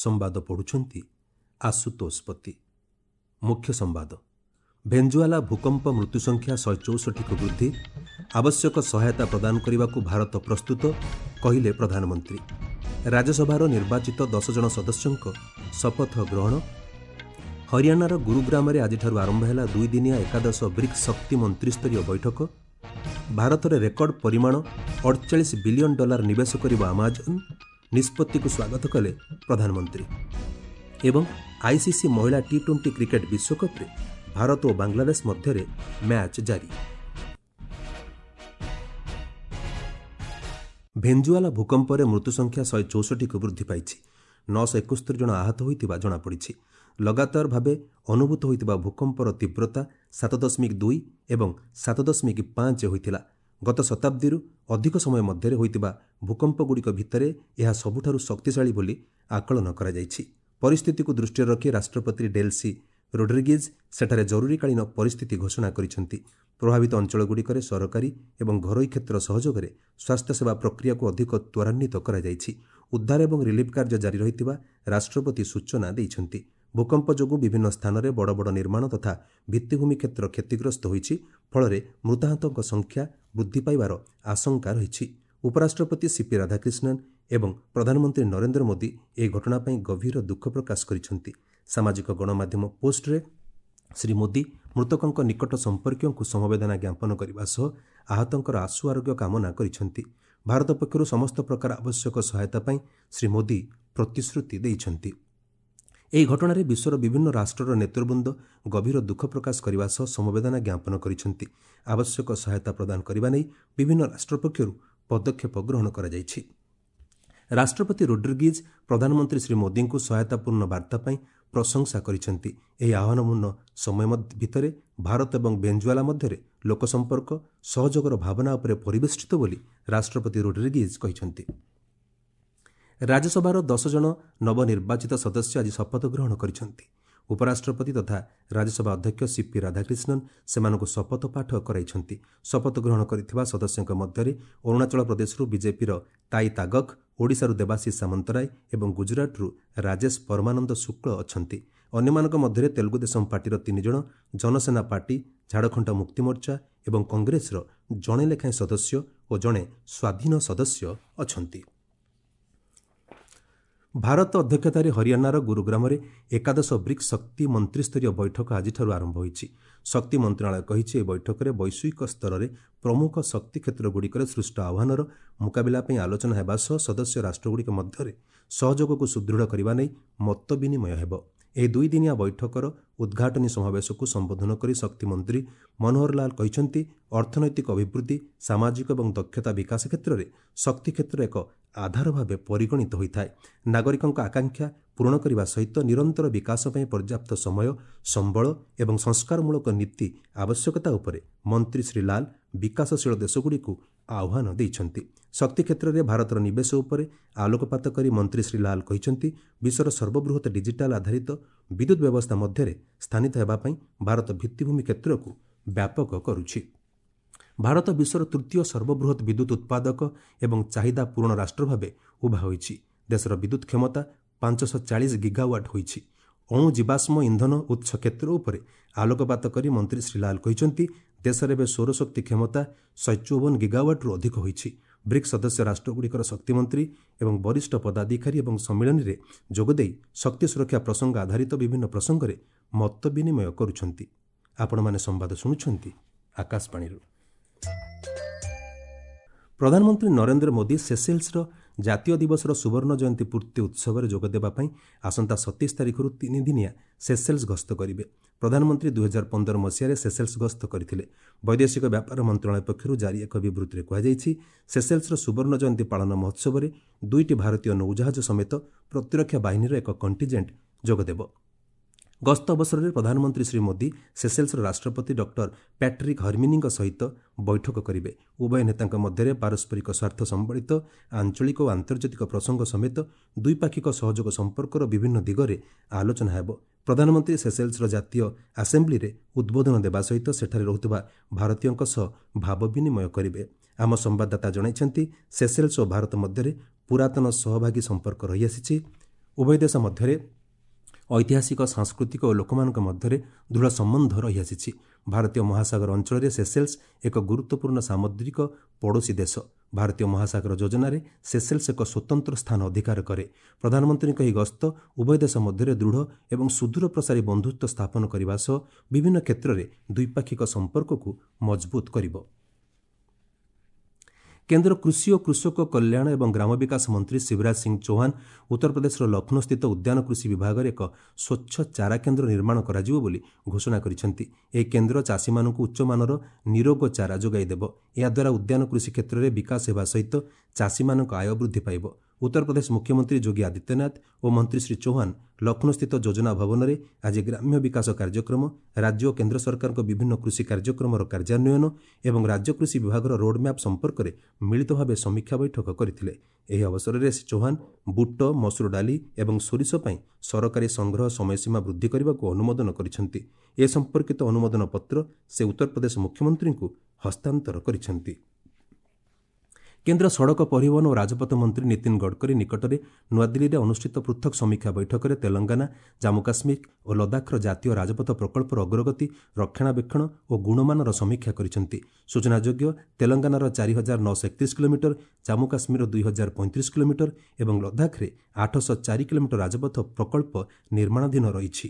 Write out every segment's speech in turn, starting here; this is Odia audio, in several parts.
ସମ୍ବାଦ ପଢ଼ୁଛନ୍ତି ଆଶୁତୋଷ ପତି। ମୁଖ୍ୟ ସମ୍ବାଦ। ଭେଞ୍ଜୁଆଲା ଭୂକମ୍ପ ମୃତ୍ୟୁସଂଖ୍ୟା 164କୁ ବୃଦ୍ଧି। ଆବଶ୍ୟକ ସହାୟତା ପ୍ରଦାନ କରିବାକୁ ଭାରତ ପ୍ରସ୍ତୁତ, କହିଲେ ପ୍ରଧାନମନ୍ତ୍ରୀ। ରାଜ୍ୟସଭାର ନିର୍ବାଚିତ 10 ଜଣ ସଦସ୍ୟଙ୍କ ଶପଥ ଗ୍ରହଣ। ହରିୟାଣାର ଗୁରୁଗ୍ରାମରେ ଆଜିଠାରୁ ଆରମ୍ଭ ହେଲା ଦୁଇଦିନିଆ ଏକାଦଶ ବ୍ରିକ୍ସ ଶକ୍ତି ମନ୍ତ୍ରିସ୍ତରୀୟ ବୈଠକ। ଭାରତରେ ରେକର୍ଡ ପରିମାଣ 48 ବିଲିୟନ ଡଲାର ନିବେଶ କରିବ ଆମାଜନ, ନିଷ୍ପତ୍ତିକୁ ସ୍ୱାଗତ କଲେ ପ୍ରଧାନମନ୍ତ୍ରୀ। ଏବଂ ଆଇସିସି ମହିଳା ଟି-20 କ୍ରିକେଟ୍ ବିଶ୍ୱକପ୍ରେ ଭାରତ ଓ ବାଂଲାଦେଶ ମଧ୍ୟରେ ମ୍ୟାଚ୍ ଜାରି। ଭେଞ୍ଜୁଆଲା ଭୂକମ୍ପରେ ମୃତ୍ୟୁସଂଖ୍ୟା 164କୁ ବୃଦ୍ଧି ପାଇଛି। 971 ଜଣ ଆହତ ହୋଇଥିବା ଜଣାପଡ଼ିଛି। ଲଗାତାର ଭାବେ ଅନୁଭୂତ ହୋଇଥିବା ଭୂକମ୍ପର ତୀବ୍ରତା 7.2 ଏବଂ 7.5 ହୋଇଥିଲା। ଗତ ଶତାବ୍ଦୀରୁ ଅଧିକ ସମୟ ମଧ୍ୟରେ ହୋଇଥିବା ଭୂକମ୍ପଗୁଡ଼ିକ ଭିତରେ ଏହା ସବୁଠାରୁ ଶକ୍ତିଶାଳୀ ବୋଲି ଆକଳନ କରାଯାଇଛି। ପରିସ୍ଥିତିକୁ ଦୃଷ୍ଟିରେ ରଖି ରାଷ୍ଟ୍ରପତି ଡେଲ୍ସି ରୋଡ୍ରିଗିଜ୍ ସେଠାରେ ଜରୁରୀକାଳୀନ ପରିସ୍ଥିତି ଘୋଷଣା କରିଛନ୍ତି। ପ୍ରଭାବିତ ଅଞ୍ଚଳଗୁଡ଼ିକରେ ସରକାରୀ ଏବଂ ଘରୋଇ କ୍ଷେତ୍ର ସହଯୋଗରେ ସ୍ୱାସ୍ଥ୍ୟସେବା ପ୍ରକ୍ରିୟାକୁ ଅଧିକ ତ୍ୱରାନ୍ୱିତ କରାଯାଇଛି। ଉଦ୍ଧାର ଏବଂ ରିଲିଫ୍ କାର୍ଯ୍ୟ ଜାରି ରହିଥିବା ରାଷ୍ଟ୍ରପତି ସୂଚନା ଦେଇଛନ୍ତି। ଭୂକମ୍ପ ଯୋଗୁଁ ବିଭିନ୍ନ ସ୍ଥାନରେ ବଡ଼ ବଡ଼ ନିର୍ମାଣ ତଥା ଭିତ୍ତିଭୂମି କ୍ଷେତ୍ର କ୍ଷତିଗ୍ରସ୍ତ ହୋଇଛି। ଫଳରେ ମୃତାହତଙ୍କ ସଂଖ୍ୟା ବୃଦ୍ଧି ପାଇବାର ଆଶଙ୍କା ରହିଛି। ଉପରାଷ୍ଟ୍ରପତି ସିପି ରାଧାକ୍ରିଷ୍ଣନ୍ ଏବଂ ପ୍ରଧାନମନ୍ତ୍ରୀ ନରେନ୍ଦ୍ର ମୋଦି ଏହି ଘଟଣା ପାଇଁ ଗଭୀର ଦୁଃଖ ପ୍ରକାଶ କରିଛନ୍ତି। ସାମାଜିକ ଗଣମାଧ୍ୟମ ପୋଷ୍ଟରେ ଶ୍ରୀ ମୋଦି ମୃତକଙ୍କ ନିକଟ ସମ୍ପର୍କୀୟଙ୍କୁ ସମବେଦନା ଜ୍ଞାପନ କରିବା ସହ ଆହତଙ୍କର ଆଶୁ ଆରୋଗ୍ୟ କାମନା କରିଛନ୍ତି। ଭାରତ ପକ୍ଷରୁ ସମସ୍ତ ପ୍ରକାର ଆବଶ୍ୟକ ସହାୟତା ପାଇଁ ଶ୍ରୀ ମୋଦି ପ୍ରତିଶ୍ରୁତି ଦେଇଛନ୍ତି। ଏହି ଘଟଣାରେ ବିଶ୍ୱର ବିଭିନ୍ନ ରାଷ୍ଟ୍ରର ନେତୃବୃନ୍ଦ ଗଭୀର ଦୁଃଖ ପ୍ରକାଶ କରିବା ସହ ସମବେଦନା ଜ୍ଞାପନ କରିଛନ୍ତି। ଆବଶ୍ୟକ ସହାୟତା ପ୍ରଦାନ କରିବା ନେଇ ବିଭିନ୍ନ ରାଷ୍ଟ୍ର ପକ୍ଷରୁ ପଦକ୍ଷେପ ଗ୍ରହଣ କରାଯାଇଛି। ରାଷ୍ଟ୍ରପତି ରୋଡ୍ରିଗିଜ୍ ପ୍ରଧାନମନ୍ତ୍ରୀ ଶ୍ରୀ ମୋଦିଙ୍କୁ ସହାୟତାପୂର୍ଣ୍ଣ ବାର୍ତ୍ତା ପାଇଁ ପ୍ରଶଂସା କରିଛନ୍ତି। ଏହି ଆହ୍ୱାନପୂର୍ଣ୍ଣ ସମୟ ଭିତରେ ଭାରତ ଏବଂ ଭେଞ୍ଜୁଆଲା ମଧ୍ୟରେ ଲୋକସମ୍ପର୍କ ସହଯୋଗର ଭାବନା ଉପରେ ପରିବେଷ୍ଟିତ ବୋଲି ରାଷ୍ଟ୍ରପତି ରୋଡ୍ରିଗିଜ୍ କହିଛନ୍ତି। ରାଜ୍ୟସଭାର 10 ଜଣ ନବନିର୍ବାଚିତ ସଦସ୍ୟ ଆଜି ଶପଥ ଗ୍ରହଣ କରିଛନ୍ତି। ଉପରାଷ୍ଟ୍ରପତି ତଥା ରାଜ୍ୟସଭା ଅଧ୍ୟକ୍ଷ ସିପି ରାଧାକ୍ରିଷ୍ଣନ୍ ସେମାନଙ୍କୁ ଶପଥ ପାଠ କରାଇଛନ୍ତି। ଶପଥ ଗ୍ରହଣ କରିଥିବା ସଦସ୍ୟଙ୍କ ମଧ୍ୟରେ ଅରୁଣାଚଳ ପ୍ରଦେଶରୁ ବିଜେପିର ତାଇ ତାଗକ୍, ଓଡ଼ିଶାରୁ ଦେବାଶିଷ ସାମନ୍ତରାୟ ଏବଂ ଗୁଜରାଟରୁ ରାଜେଶ ପରମାନନ୍ଦ ଶୁକ୍ଳ ଅଛନ୍ତି। ଅନ୍ୟମାନଙ୍କ ମଧ୍ୟରେ ତେଲୁଗୁଦେଶମ ପାର୍ଟିର 3 ଜଣ, ଜନସେନା ପାର୍ଟି, ଝାଡ଼ଖଣ୍ଡ ମୁକ୍ତିମୋର୍ଚ୍ଚା ଏବଂ କଂଗ୍ରେସର ଜଣେ ଲେଖାଏଁ ସଦସ୍ୟ ଓ ଜଣେ ସ୍ୱାଧୀନ ସଦସ୍ୟ ଅଛନ୍ତି। ଭାରତ ଅଧ୍ୟକ୍ଷତାରେ ହରିୟାଣାର ଗୁରୁଗ୍ରାମରେ ଏକାଦଶ ବ୍ରିକ୍ସ ଶକ୍ତି ମନ୍ତ୍ରିସ୍ତରୀୟ ବୈଠକ ଆଜିଠାରୁ ଆରମ୍ଭ ହୋଇଛି। ଶକ୍ତି ମନ୍ତ୍ରଣାଳୟ କହିଛି, ଏହି ବୈଠକରେ ବୈଶ୍ୱିକ ସ୍ତରରେ ପ୍ରମୁଖ ଶକ୍ତି କ୍ଷେତ୍ରଗୁଡ଼ିକରେ ସୃଷ୍ଟ ଆହ୍ୱାନର ମୁକାବିଲା ପାଇଁ ଆଲୋଚନା ହେବା ସହ ସଦସ୍ୟ ରାଷ୍ଟ୍ରଗୁଡ଼ିକ ମଧ୍ୟରେ ସହଯୋଗକୁ ସୁଦୃଢ଼ କରିବା ନେଇ ମତ ବିନିମୟ ହେବ। ଏହି ଦୁଇଦିନିଆ ବୈଠକର ଉଦ୍ଘାଟନୀ ସମାବେଶକୁ ସମ୍ବୋଧନ କରି ଶକ୍ତିମନ୍ତ୍ରୀ ମନୋହର ଲାଲ କହିଛନ୍ତି, ଅର୍ଥନୈତିକ ଅଭିବୃଦ୍ଧି, ସାମାଜିକ ଏବଂ ଦକ୍ଷତା ବିକାଶ କ୍ଷେତ୍ରରେ ଶକ୍ତି କ୍ଷେତ୍ର ଏକ ଆଧାର ଭାବେ ପରିଗଣିତ ହୋଇଥାଏ। ନାଗରିକଙ୍କ ଆକାଂକ୍ଷା ପୂରଣ କରିବା ସହିତ ନିରନ୍ତର ବିକାଶ ପାଇଁ ପର୍ଯ୍ୟାପ୍ତ ସମୟ, ସମ୍ବଳ ଏବଂ ସଂସ୍କାରମୂଳକ ନୀତି ଆବଶ୍ୟକତା ଉପରେ ମନ୍ତ୍ରୀ ଶ୍ରୀ ଲାଲ ବିକାଶଶୀଳ ଦେଶଗୁଡ଼ିକୁ ଆହ୍ୱାନ ଦେଇଛନ୍ତି। ଶକ୍ତି କ୍ଷେତ୍ରରେ ଭାରତର ନିବେଶ ଉପରେ ଆଲୋକପାତ କରି ମନ୍ତ୍ରୀ ଶ୍ରୀ ଲାଲ କହିଛନ୍ତି, ବିଶ୍ୱର ସର୍ବବୃହତ ଡିଜିଟାଲ ଆଧାରିତ ବିଦ୍ୟୁତ୍ ବ୍ୟବସ୍ଥା ମଧ୍ୟରେ ସ୍ଥାନିତ ହେବା ପାଇଁ ଭାରତ ଭିତ୍ତିଭୂମି କ୍ଷେତ୍ରକୁ ବ୍ୟାପକ କରୁଛି। ଭାରତ ବିଶ୍ୱର ତୃତୀୟ ସର୍ବବୃହତ ବିଦ୍ୟୁତ୍ ଉତ୍ପାଦକ ଏବଂ ଚାହିଦା ପୂରଣ ରାଷ୍ଟ୍ର ଭାବେ ଉଭା ହୋଇଛି। ଦେଶର ବିଦ୍ୟୁତ୍ କ୍ଷମତା 540 ଗିଗାୱାଟ୍ ହୋଇଛି। ଅଣୁ ଜୀବାଶ୍ମ ଇନ୍ଧନ ଉତ୍ସ କ୍ଷେତ୍ର ଉପରେ ଆଲୋକପାତ କରି ମନ୍ତ୍ରୀ ଶ୍ରୀ ଲାଲ କହିଛନ୍ତି, ଦେଶରେ ଏବେ ସୌରଶକ୍ତି କ୍ଷମତା 154 ଗିଗାୱାଟ୍ରୁ ଅଧିକ ହୋଇଛି। ବ୍ରିକ୍ସ ସଦସ୍ୟ ରାଷ୍ଟ୍ରଗୁଡ଼ିକର ଶକ୍ତିମନ୍ତ୍ରୀ ଏବଂ ବରିଷ୍ଠ ପଦାଧିକାରୀ ଏବଂ ସମ୍ମିଳନୀରେ ଯୋଗଦେଇ ଶକ୍ତି ସୁରକ୍ଷା ପ୍ରସଙ୍ଗ ଆଧାରିତ ବିଭିନ୍ନ ପ୍ରସଙ୍ଗରେ ମତ ବିନିମୟ କରୁଛନ୍ତି। ଆପଣମାନେ ସମ୍ବାଦ ଶୁଣୁଛନ୍ତି ଆକାଶବାଣୀରୁ। ପ୍ରଧାନମନ୍ତ୍ରୀ ନରେନ୍ଦ୍ର ମୋଦି ସେସେଲ୍ସର ଜାତୀୟ ଦିବସର ସୁବର୍ଣ୍ଣ ଜୟନ୍ତୀ ପୂର୍ତ୍ତି ଉତ୍ସବରେ ଯୋଗଦେବା ପାଇଁ ଆସନ୍ତା 27 ତାରିଖରୁ 3 ଦିନିଆ ସେସେଲ୍ସ ଗସ୍ତ କରିବେ। ପ୍ରଧାନମନ୍ତ୍ରୀ 2015 ମସିହାରେ ସେସେଲ୍ସ ଗସ୍ତ କରିଥିଲେ। ବୈଦେଶିକ ବ୍ୟାପାର ମନ୍ତ୍ରଣାଳୟ ପକ୍ଷରୁ ଜାରି ଏକ ବିବୃତ୍ତିରେ କୁହାଯାଇଛି, ସେସେଲ୍ସର ସୁବର୍ଣ୍ଣ ଜୟନ୍ତୀ ପାଳନ ମହୋତ୍ସବରେ 2ଟି ଭାରତୀୟ ନୌଜାହାଜ ସମେତ ପ୍ରତିରକ୍ଷା ବାହିନୀର ଏକ କଣ୍ଟିଜେଣ୍ଟ ଯୋଗଦେବ। ଗସ୍ତ ଅବସରରେ ପ୍ରଧାନମନ୍ତ୍ରୀ ଶ୍ରୀ ମୋଦି ସେସେଲ୍ସର ରାଷ୍ଟ୍ରପତି ଡକ୍ଟର ପ୍ୟାଟ୍ରିକ୍ ହର୍ମିନିଙ୍କ ସହିତ ବୈଠକ କରିବେ। ଉଭୟ ନେତାଙ୍କ ମଧ୍ୟରେ ପାରସ୍ପରିକ ସ୍ୱାର୍ଥ ସମ୍ବଳିତ ଆଞ୍ଚଳିକ ଓ ଆନ୍ତର୍ଜାତିକ ପ୍ରସଙ୍ଗ ସମେତ ଦ୍ୱିପାକ୍ଷିକ ସହଯୋଗ ସମ୍ପର୍କର ବିଭିନ୍ନ ଦିଗରେ ଆଲୋଚନା ହେବ। ପ୍ରଧାନମନ୍ତ୍ରୀ ସେସେଲ୍ସର ଜାତୀୟ ଆସେମ୍ବ୍ଲିରେ ଉଦ୍ବୋଧନ ଦେବା ସହିତ ସେଠାରେ ରହୁଥିବା ଭାରତୀୟଙ୍କ ସହ ଭାବ ବିନିମୟ କରିବେ। ଆମ ସମ୍ବାଦଦାତା ଜଣାଇଛନ୍ତି, ସେସେଲ୍ସ ଓ ଭାରତ ମଧ୍ୟରେ ପୁରାତନ ସହଭାଗୀ ସମ୍ପର୍କ ରହିଆସିଛି। ଉଭୟ ଦେଶ ମଧ୍ୟରେ ଐତିହାସିକ, ସାଂସ୍କୃତିକ ଓ ଲୋକମାନଙ୍କ ମଧ୍ୟରେ ଦୃଢ଼ ସମ୍ବନ୍ଧ ରହିଆସିଛି। ଭାରତୀୟ ମହାସାଗର ଅଞ୍ଚଳରେ ସେସେଲ୍ସ ଏକ ଗୁରୁତ୍ୱପୂର୍ଣ୍ଣ ସାମୁଦ୍ରିକ ପଡ଼ୋଶୀ ଦେଶ। ଭାରତୀୟ ମହାସାଗର ଯୋଜନାରେ ସେସେଲ୍ସ ଏକ ସ୍ୱତନ୍ତ୍ର ସ୍ଥାନ ଅଧିକାର କରେ। ପ୍ରଧାନମନ୍ତ୍ରୀଙ୍କ ଏହି ଗସ୍ତ ଉଭୟ ଦେଶ ମଧ୍ୟରେ ଦୃଢ଼ ଏବଂ ସୁଦୂର ପ୍ରସାରୀ ବନ୍ଧୁତ୍ୱ ସ୍ଥାପନ କରିବା ସହ ବିଭିନ୍ନ କ୍ଷେତ୍ରରେ ଦ୍ୱିପାକ୍ଷିକ ସମ୍ପର୍କକୁ ମଜବୁତ କରିବ। କେନ୍ଦ୍ର କୃଷି ଓ କୃଷକ କଲ୍ୟାଣ ଏବଂ ଗ୍ରାମ ବିକାଶ ମନ୍ତ୍ରୀ ଶିବରାଜ ସିଂ ଚୌହାନ ଉତ୍ତରପ୍ରଦେଶର ଲକ୍ଷ୍ନୌସ୍ଥିତ ଉଦ୍ୟାନ କୃଷି ବିଭାଗରେ ଏକ ସ୍ୱଚ୍ଛ ଚାରା କେନ୍ଦ୍ର ନିର୍ମାଣ କରାଯିବ ବୋଲି ଘୋଷଣା କରିଛନ୍ତି। ଏହି କେନ୍ଦ୍ର ଚାଷୀମାନଙ୍କୁ ଉଚ୍ଚମାନର ନିରୋଗ ଚାରା ଯୋଗାଇ ଦେବ। ଏହାଦ୍ୱାରା ଉଦ୍ୟାନ କୃଷି କ୍ଷେତ୍ରରେ ବିକାଶ ହେବା ସହିତ ଚାଷୀମାନଙ୍କ ଆୟ ବୃଦ୍ଧି ପାଇବ। ଉତ୍ତରପ୍ରଦେଶ ମୁଖ୍ୟମନ୍ତ୍ରୀ ଯୋଗୀ ଆଦିତ୍ୟନାଥ ଓ ମନ୍ତ୍ରୀ ଶ୍ରୀ ଚୌହାନ ଲକ୍ଷ୍ନୌସ୍ଥିତ ଯୋଜନା ଭବନରେ ଆଜି ଗ୍ରାମ୍ୟ ବିକାଶ କାର୍ଯ୍ୟକ୍ରମ, ରାଜ୍ୟ ଓ କେନ୍ଦ୍ର ସରକାରଙ୍କ ବିଭିନ୍ନ କୃଷି କାର୍ଯ୍ୟକ୍ରମର କାର୍ଯ୍ୟାନ୍ୱୟନ ଏବଂ ରାଜ୍ୟ କୃଷି ବିଭାଗର ରୋଡ୍ମ୍ୟାପ୍ ସମ୍ପର୍କରେ ମିଳିତ ଭାବେ ସମୀକ୍ଷା ବୈଠକ କରିଥିଲେ। ଏହି ଅବସରରେ ଶ୍ରୀ ଚୌହାନ ବୁଟ, ମସୁର ଡାଲି ଏବଂ ସୋରିଷ ପାଇଁ ସରକାରୀ ସଂଗ୍ରହ ସମୟସୀମା ବୃଦ୍ଧି କରିବାକୁ ଅନୁମୋଦନ କରିଛନ୍ତି। ଏ ସମ୍ପର୍କିତ ଅନୁମୋଦନ ପତ୍ର ସେ ଉତ୍ତରପ୍ରଦେଶ ମୁଖ୍ୟମନ୍ତ୍ରୀଙ୍କୁ ହସ୍ତାନ୍ତର କରିଛନ୍ତି। କେନ୍ଦ୍ର ସଡ଼କ ପରିବହନ ଓ ରାଜପଥ ମନ୍ତ୍ରୀ ନୀତିନ ଗଡ଼କରୀ ନିକଟରେ ନୂଆଦିଲ୍ଲୀରେ ଅନୁଷ୍ଠିତ ପୃଥକ୍ ସମୀକ୍ଷା ବୈଠକରେ ତେଲଙ୍ଗାନା, ଜାମ୍ମୁ କାଶ୍ମୀର ଓ ଲଦାଖର ଜାତୀୟ ରାଜପଥ ପ୍ରକଳ୍ପର ଅଗ୍ରଗତି, ରକ୍ଷଣାବେକ୍ଷଣ ଓ ଗୁଣମାନର ସମୀକ୍ଷା କରିଛନ୍ତି। ସୂଚନାଯୋଗ୍ୟ, ତେଲଙ୍ଗାନାର 4931 କିଲୋମିଟର, ଜାମ୍ମୁ କାଶ୍ମୀରର 2035 କିଲୋମିଟର ଏବଂ ଲଦାଖରେ 804 କିଲୋମିଟର ରାଜପଥ ପ୍ରକଳ୍ପ ନିର୍ମାଣାଧୀନ ରହିଛି।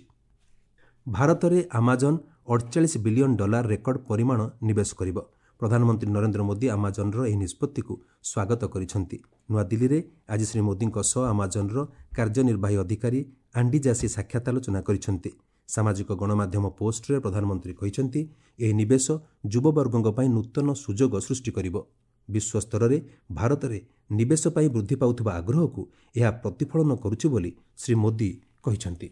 ଭାରତରେ ଆମାଜନ୍ $48 ବିଲିୟନ ରେକର୍ଡ ପରିମାଣ ନିବେଶ କରିବ। ପ୍ରଧାନମନ୍ତ୍ରୀ ନରେନ୍ଦ୍ର ମୋଦି ଆମାଜନ୍ର ଏହି ନିଷ୍ପତ୍ତିକୁ ସ୍ୱାଗତ କରିଛନ୍ତି। ନୂଆଦିଲ୍ଲୀରେ ଆଜି ଶ୍ରୀ ମୋଦିଙ୍କ ସହ ଆମାଜନ୍ର କାର୍ଯ୍ୟନିର୍ବାହୀ ଅଧିକାରୀ ଆଣ୍ଡି ଜାସି ସାକ୍ଷାତ ଆଲୋଚନା କରିଛନ୍ତି। ସାମାଜିକ ଗଣମାଧ୍ୟମ ପୋଷ୍ଟରେ ପ୍ରଧାନମନ୍ତ୍ରୀ କହିଛନ୍ତି, ଏହି ନିବେଶ ଯୁବବର୍ଗଙ୍କ ପାଇଁ ନୂତନ ସୁଯୋଗ ସୃଷ୍ଟି କରିବ। ବିଶ୍ୱସ୍ତରରେ ଭାରତରେ ନିବେଶ ପାଇଁ ବୃଦ୍ଧି ପାଉଥିବା ଆଗ୍ରହକୁ ଏହା ପ୍ରତିଫଳନ କରୁଛି ବୋଲି ଶ୍ରୀ ମୋଦି କହିଛନ୍ତି।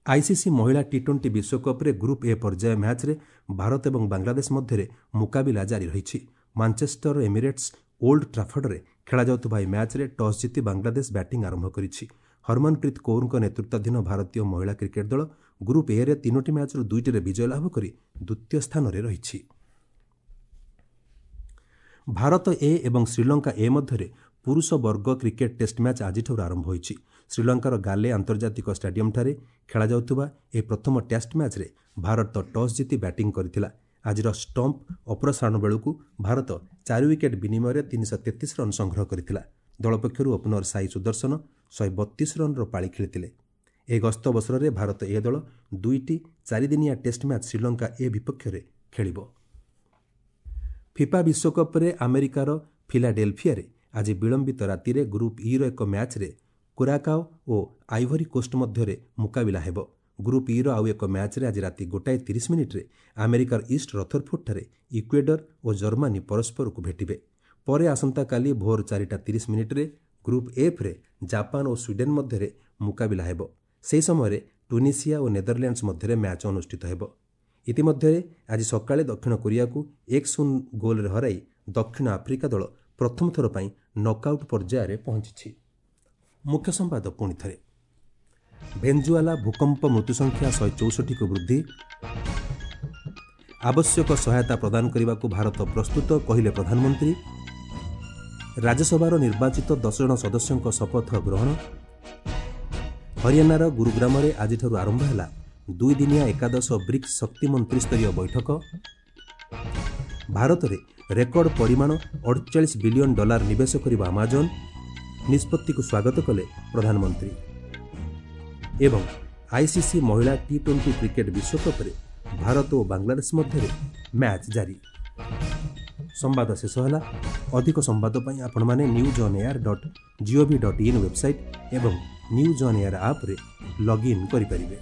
ଆଇସିସି ମହିଳା ଟି-20 ବିଶ୍ୱକପ୍ରେ ଗ୍ରୁପ୍ ଏ ପର୍ଯ୍ୟାୟ ମ୍ୟାଚ୍ରେ ଭାରତ ଏବଂ ବାଂଲାଦେଶ ମଧ୍ୟରେ ମୁକାବିଲା ଜାରି ରହିଛି। ମାଞ୍ଚେଷ୍ଟର ଏମିରେଟ୍ସ ଓଲ୍ଡ ଟ୍ରାଫର୍ଡରେ ଖେଳାଯାଉଥିବା ଏହି ମ୍ୟାଚ୍ରେ ଟସ୍ ଜିତି ବାଂଲାଦେଶ ବ୍ୟାଟିଂ ଆରମ୍ଭ କରିଛି। ହରମନପ୍ରୀତ କୌରଙ୍କ ନେତୃତ୍ୱାଧୀନ ଭାରତୀୟ ମହିଳା କ୍ରିକେଟ୍ ଦଳ ଗ୍ରୁପ୍ ଏରେ 3ଟି ମ୍ୟାଚ୍ରୁ 2ଟିରେ ବିଜୟ ଲାଭ କରି ଦ୍ୱିତୀୟ ସ୍ଥାନରେ ରହିଛି। ଭାରତ ଏ ଏବଂ ଶ୍ରୀଲଙ୍କା ଏ ମଧ୍ୟରେ ପୁରୁଷ ବର୍ଗ କ୍ରିକେଟ୍ ଟେଷ୍ଟ ମ୍ୟାଚ୍ ଆଜିଠାରୁ ଆରମ୍ଭ ହୋଇଛି। ଶ୍ରୀଲଙ୍କାର ଗାଲେ ଆନ୍ତର୍ଜାତିକ ଷ୍ଟାଡିୟମ୍ଠାରେ ଖେଳାଯାଉଥିବା ଏହି ପ୍ରଥମ ଟେଷ୍ଟ ମ୍ୟାଚ୍ରେ ଭାରତ ଟସ୍ ଜିତି ବ୍ୟାଟିଂ କରିଥିଲା। ଆଜିର ଷ୍ଟମ୍ପ ଅପସାରଣ ବେଳକୁ ଭାରତ 4 ୱିକେଟ୍ ବିନିମୟରେ 333 ରନ୍ ସଂଗ୍ରହ କରିଥିଲା। ଦଳ ପକ୍ଷରୁ ଓପନର ସାଇ ସୁଦର୍ଶନ 132 ରନ୍ର ପାଳି ଖେଳିଥିଲେ। ଏହି ଗସ୍ତ ଅବସରରେ ଭାରତ ଏ ଦଳ 2ଟି 4 ଦିନିଆ ଟେଷ୍ଟ ମ୍ୟାଚ୍ ଶ୍ରୀଲଙ୍କା ଏ ବିପକ୍ଷରେ ଖେଳିବ। ଫିଫା ବିଶ୍ୱକପ୍ରେ ଆମେରିକାର ଫିଲାଡେଲଫିଆରେ ଆଜି ବିଳମ୍ବିତ ରାତିରେ ଗ୍ରୁପ୍ ଇର ଏକ ମ୍ୟାଚ୍ରେ କୁରାକାଓ ଓ ଆଇଭରି କୋଷ୍ଟ ମଧ୍ୟରେ ମୁକାବିଲା ହେବ। ଗ୍ରୁପ୍ ଇର ଆଉ ଏକ ମ୍ୟାଚ୍ରେ ଆଜି ରାତି 1:30ରେ ଆମେରିକାର ଇଷ୍ଟ ରଥରଫୋର୍ଡଠାରେ ଇକ୍ୱେଡର ଓ ଜର୍ମାନୀ ପରସ୍ପରକୁ ଭେଟିବେ। ପରେ ଆସନ୍ତାକାଲି ଭୋର 4:30ରେ ଗ୍ରୁପ୍ ଏଫ୍ରେ ଜାପାନ ଓ ସ୍ୱିଡେନ୍ ମଧ୍ୟରେ ମୁକାବିଲା ହେବ। ସେହି ସମୟରେ ଟ୍ୟୁନିସିଆ ଓ ନେଦରଲ୍ୟାଣ୍ଡସ୍ ମଧ୍ୟରେ ମ୍ୟାଚ୍ ଅନୁଷ୍ଠିତ ହେବ। ଇତିମଧ୍ୟରେ ଆଜି ସକାଳେ ଦକ୍ଷିଣ କୋରିଆକୁ 1-0 ଗୋଲ୍ରେ ହରାଇ ଦକ୍ଷିଣ ଆଫ୍ରିକା ଦଳ ପ୍ରଥମ ଥର ପାଇଁ ନକ୍ଆଉଟ୍ ପର୍ଯ୍ୟାୟରେ ପହଞ୍ଚିଛି। ମୁଖ୍ୟ ସମ୍ବାଦ ପୁଣି ଥରେ। ଭେଞ୍ଜୁଆଲା ଭୂକମ୍ପ ମୃତ୍ୟୁସଂଖ୍ୟା 164କୁ ବୃଦ୍ଧି। ଆବଶ୍ୟକ ସହାୟତା ପ୍ରଦାନ କରିବାକୁ ଭାରତ ପ୍ରସ୍ତୁତ, କହିଲେ ପ୍ରଧାନମନ୍ତ୍ରୀ। ରାଜ୍ୟସଭାର ନିର୍ବାଚିତ 10 ଜଣ ସଦସ୍ୟଙ୍କ ଶପଥ ଗ୍ରହଣ। ହରିୟାଣାର ଗୁରୁଗ୍ରାମରେ ଆଜିଠାରୁ ଆରମ୍ଭ ହେଲା 2 ଦିନିଆ ଏକାଦଶ ବ୍ରିକ୍ସ ଶକ୍ତି ମନ୍ତ୍ରୀସ୍ତରୀୟ ବୈଠକ। ଭାରତରେ ରେକର୍ଡ ପରିମାଣ $48 ବିଲିୟନ ନିବେଶ କରିବ ଆମାଜନ୍, ନିଷ୍ପତ୍ତିକୁ ସ୍ୱାଗତ କଲେ ପ୍ରଧାନମନ୍ତ୍ରୀ। ଏବଂ ଆଇସିସି ମହିଳା ଟି-20 କ୍ରିକେଟ୍ ବିଶ୍ୱକପ୍ରେ ଭାରତ ଓ ବାଂଲାଦେଶ ମଧ୍ୟରେ ମ୍ୟାଚ୍ ଜାରି। ସମ୍ବାଦ ଶେଷ ହେଲା। ଅଧିକ ସମ୍ବାଦ ପାଇଁ ଆପଣମାନେ newsonair.gov.in website ଏବଂ ନ୍ୟୁଜ୍ ଅନ୍ ଏୟାର ଆପ୍ରେ ଲଗ୍ଇନ୍ କରିପାରିବେ।